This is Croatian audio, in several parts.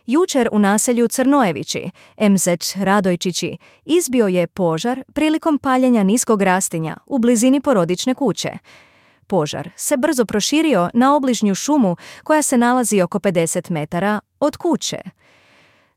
Jučer u naselju Crnojevići, MZ Radojčići, izbio je požar prilikom paljenja niskog rastinja u blizini porodične kuće. Požar se brzo proširio na obližnju šumu koja se nalazi oko 50 metara od kuće.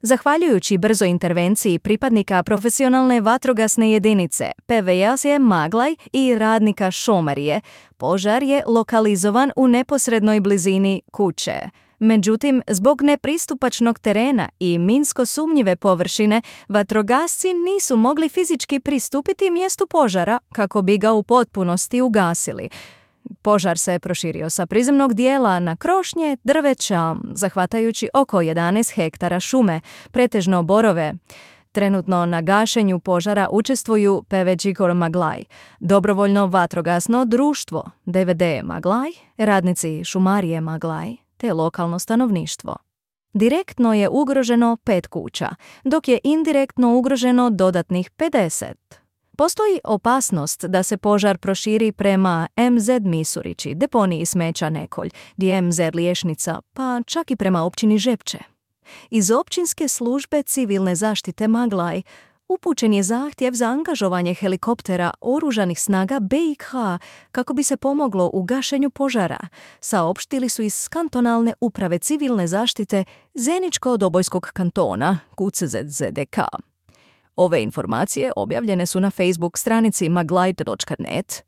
Zahvaljujući brzoj intervenciji pripadnika profesionalne vatrogasne jedinice PVS Maglaj i radnika šomarije, požar je lokalizovan u neposrednoj blizini kuće. Međutim, zbog nepristupačnog terena i minsko sumnjive površine, vatrogasci nisu mogli fizički pristupiti mjestu požara kako bi ga u potpunosti ugasili. Požar se proširio sa prizemnog dijela na krošnje, drveća, zahvatajući oko 11 hektara šume, pretežno borove. Trenutno na gašenju požara učestvuju PVG Maglaj, dobrovoljno vatrogasno društvo DVD Maglaj, radnici šumarije Maglaj te lokalno stanovništvo. Direktno je ugroženo 5 kuća, dok je indirektno ugroženo dodatnih 50. Postoji opasnost da se požar proširi prema MZ Misurići, deponiji smeća Nekolj, MZ Liješnica, pa čak i prema općini Žepče. Iz općinske službe civilne zaštite Maglaj upućen je zahtjev za angažovanje helikoptera oružanih snaga BiH kako bi se pomoglo u gašenju požara, saopštili su iz kantonalne uprave civilne zaštite Zeničko-Dobojskog kantona KUCZZDK. Ove informacije objavljene su na Facebook stranici maglaj.net,